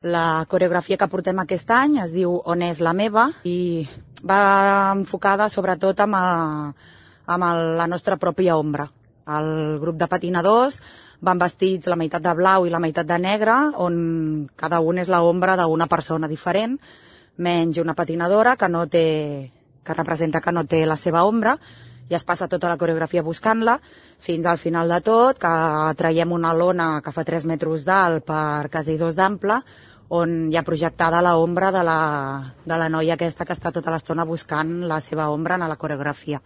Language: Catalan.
La coreografia que portem aquest any es diu On és la meva i va enfocada sobretot amb la nostra pròpia ombra. El grup de patinadors van vestits la meitat de blau i la meitat de negre, on cada un és l'ombra d'una persona diferent, menys una patinadora que representa que no té la seva ombra, i es passa tota la coreografia buscant-la, fins al final de tot, que traiem una lona que fa 3 metres d'alt per quasi 2 d'ample, on hi ha projectada l'ombra de la noia aquesta que està tota l'estona buscant la seva ombra en la coreografia.